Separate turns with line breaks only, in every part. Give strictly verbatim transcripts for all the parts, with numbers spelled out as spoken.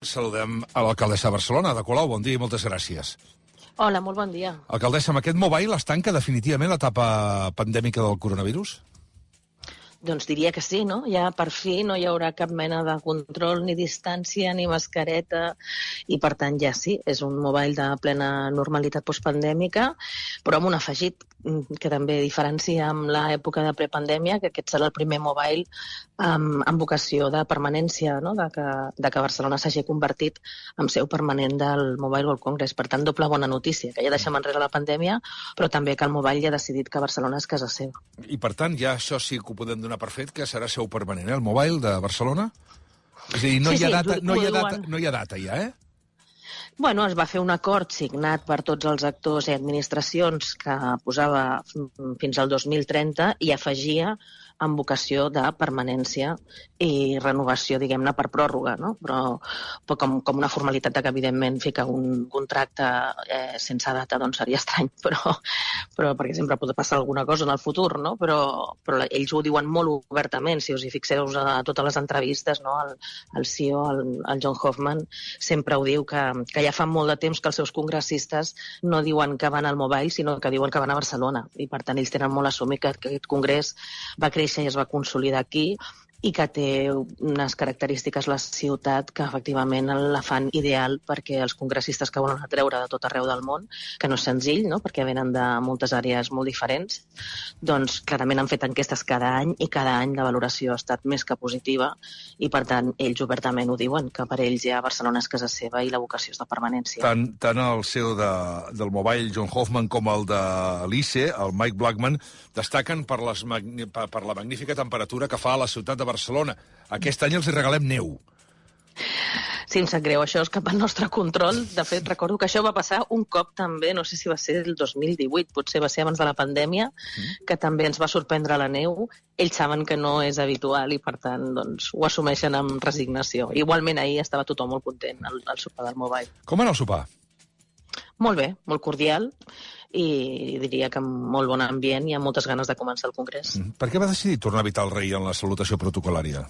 Saludem a l'alcaldessa de Barcelona, Ada Colau. Bon dia i moltes gràcies.
Hola, molt bon dia.
Alcaldessa, amb aquest mobile es tanca definitivament l'etapa pandèmica del coronavirus?
Doncs diria que sí, no? Ja per fi no hi haurà cap mena de control, ni distància, ni mascareta, i per tant ja sí, és un mobile de plena normalitat postpandèmica, però amb un afegit que també diferencia amb l'època de prepandèmia, que aquest serà el primer mobile amb, amb vocació de permanència, no? de, que, de que Barcelona s'hagi convertit en seu permanent del Mobile World Congress. Per tant, doble bona notícia, que ja deixem enrere la pandèmia, però també que el mobile ja ha decidit que Barcelona és casa seva.
I per tant, ja això sí que ho podem donar per fet, que serà seu permanent, eh? El mobile de Barcelona? És a dir, no,
sí,
hi, ha
sí,
data, no, hi ha data,
diuen...
no hi ha data ja, eh?
Bueno, es va fer un acord signat per tots els actors i administracions que posava fins al dos mil trenta i afegia amb vocació de permanència i renovació, diguem-ne, per pròrroga, no? Però, però com, com una formalitat que, evidentment, fica un contracte eh, sense data, doncs seria estrany, però, però perquè sempre pot passar alguna cosa en el futur, no? Però, però ells ho diuen molt obertament, si us hi fixeu a totes les entrevistes, no? El, el C E O, el, el John Hoffman, sempre ho diu, que, que ja fa molt de temps que els seus congressistes no diuen que van al mobile, sinó que diuen que van a Barcelona, i per tant ells tenen molt assumit que aquest congrés va créixer i es va consolidar aquí i que té unes característiques la ciutat que efectivament la fan ideal perquè els congressistes que volen atreure de tot arreu del món, que no és senzill, no? Perquè venen de moltes àrees molt diferents, doncs clarament han fet enquestes cada any i cada any la valoració ha estat més que positiva i per tant ells obertament ho diuen, que per ells ja Barcelona és casa seva i la vocació és de permanència.
Tant, tant el C E O de, del Mobile, John Hoffman, com el de l'I C E, el Mike Blackman, destaquen per, les, per, per la magnífica temperatura que fa a la ciutat de Barcelona. Aquest any els hi regalem neu.
Sí, em sap greu, això és cap al nostre control. De fet, recordo que això va passar un cop també, no sé si va ser el dos mil divuit, potser va ser abans de la pandèmia, mm. que també ens va sorprendre la neu. Ells saben que no és habitual i, per tant, doncs, ho assumeixen amb resignació. Igualment, ahir estava tothom molt content al, al sopar del Mobile.
Com era el sopar?
Molt bé, molt cordial, i diria que amb molt bon ambient i amb moltes ganes de començar el congrés.
Mm. Per què va decidir tornar a evitar el rei en la salutació protocolària?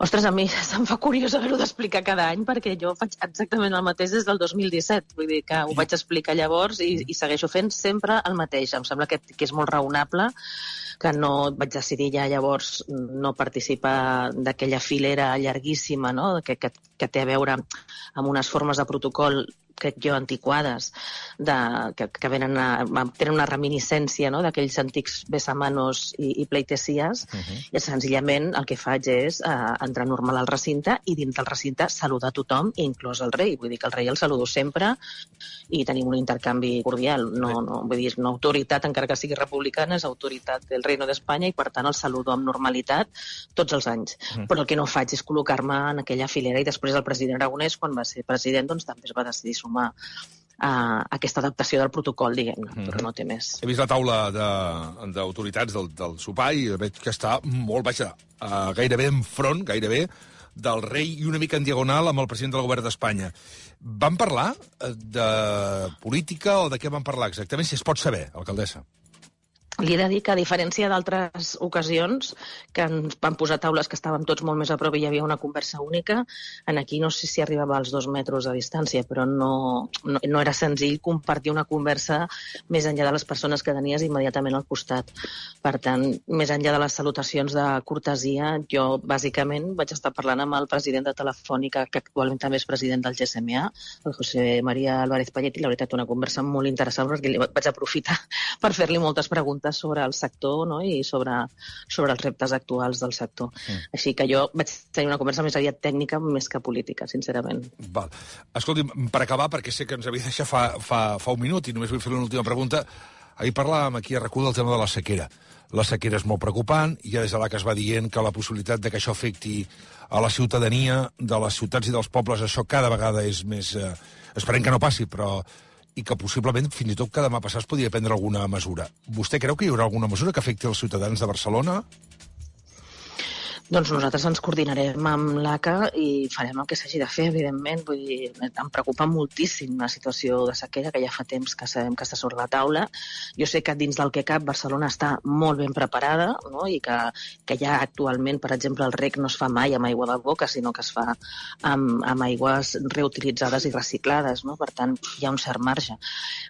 Ostres, a mi se'm fa curiós haver-ho d'explicar cada any perquè jo faig exactament el mateix des del dos mil disset. Vull dir que ho vaig explicar llavors i, i segueixo fent sempre el mateix. Em sembla que, que és molt raonable, que no vaig decidir ja llavors no participar d'aquella filera llarguíssima, no? que, que, que té a veure amb unes formes de protocol crec jo, antiquades, de, que, que venen a, tenen una reminiscència, no?, d'aquells antics besamanos i, i pleitesies, uh-huh. i senzillament el que faig és uh, entrar normal al recinte i dins del recinte saludar a tothom, inclòs el rei. Vull dir que el rei el saludo sempre i tenim un intercanvi cordial. No, no, vull dir, és una autoritat, encara que sigui republicana, és autoritat del Reino d'Espanya i, per tant, el saludo amb normalitat tots els anys. Uh-huh. Però el que no faig és col·locar-me en aquella filera i després el president Aragonès, quan va ser president, doncs també es va decidir sumar a aquesta adaptació del protocol, diguem-ne, mm-hmm. però no té més.
He vist la taula d'autoritats de, del, del sopar i veig que està molt baixa, uh, gairebé enfront, gairebé, del rei i una mica en diagonal amb el president del govern d'Espanya. Van parlar de política o de què van parlar exactament, si es pot saber, alcaldessa?
Li he de dir que, a diferència d'altres ocasions, que ens van posar taules que estàvem tots molt més a prop i hi havia una conversa única, en aquí no sé si arribava als dos metres de distància, però no, no, no era senzill compartir una conversa més enllà de les persones que tenies immediatament al costat. Per tant, més enllà de les salutacions de cortesia, jo bàsicament vaig estar parlant amb el president de Telefònica, que actualment també és president del G S M A, el José María Álvarez Payet, i la veritat una conversa molt interessant perquè vaig aprofitar per fer-li moltes preguntes sobre el sector, no?, i sobre, sobre els reptes actuals del sector. Mm. Així que jo vaig tenir una conversa més aviat tècnica més que política, sincerament.
Val. Escolti'm, per acabar, perquè sé que ens havia deixat fa, fa, fa un minut i només vull fer una última pregunta, ahir parlàvem aquí a RAC u del tema de la sequera. La sequera és molt preocupant, i ja des de l'A C A es va dient que la possibilitat de que això afecti a la ciutadania de les ciutats i dels pobles, això cada vegada és més... Eh, esperem que no passi, però... i que possiblement, fins i tot que demà passat es podria prendre alguna mesura. Vostè creu que hi haurà alguna mesura que afecti els ciutadans de Barcelona?
Doncs nosaltres ens coordinarem amb l'A C A i farem el que s'hagi de fer, evidentment. Vull dir, em preocupa moltíssim la situació de sequera, que ja fa temps que sabem que està sobre la taula. Jo sé que dins del que cap Barcelona està molt ben preparada, no? I que, que ja actualment, per exemple, el rec no es fa mai amb aigua de boca, sinó que es fa amb, amb aigües reutilitzades i reciclades, no? Per tant, hi ha un cert marge.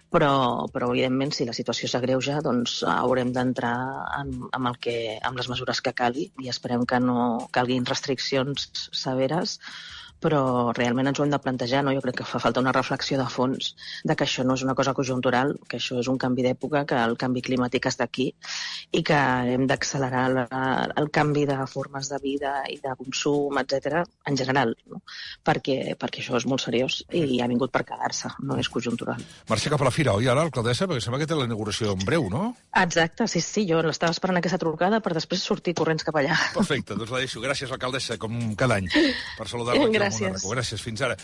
Però, però evidentment, si la situació s'agreuja, doncs haurem d'entrar amb, amb, el que, amb les mesures que calgui i esperem que no no calguin restriccions severes, però realment ens ho hem de plantejar, no? Jo crec que fa falta una reflexió de fons de que això no és una cosa conjuntural, que això és un canvi d'època, que el canvi climàtic està aquí i que hem d'accelerar el canvi de formes de vida i de consum, etcètera, en general, no? Perquè, perquè això és molt seriós i ha vingut per quedar-se, no és conjuntural.
Marxa cap a la fira, oi, ara, alcaldessa? Perquè sembla que té la inauguració en breu, no?
Exacte, sí, sí, jo l'estava esperant aquesta trucada per després sortir corrents cap allà.
Perfecte, doncs la deixo. Gràcies, alcaldessa, com cada any, per saludar-me aquí al Món Arracó. Gràcies, fins ara.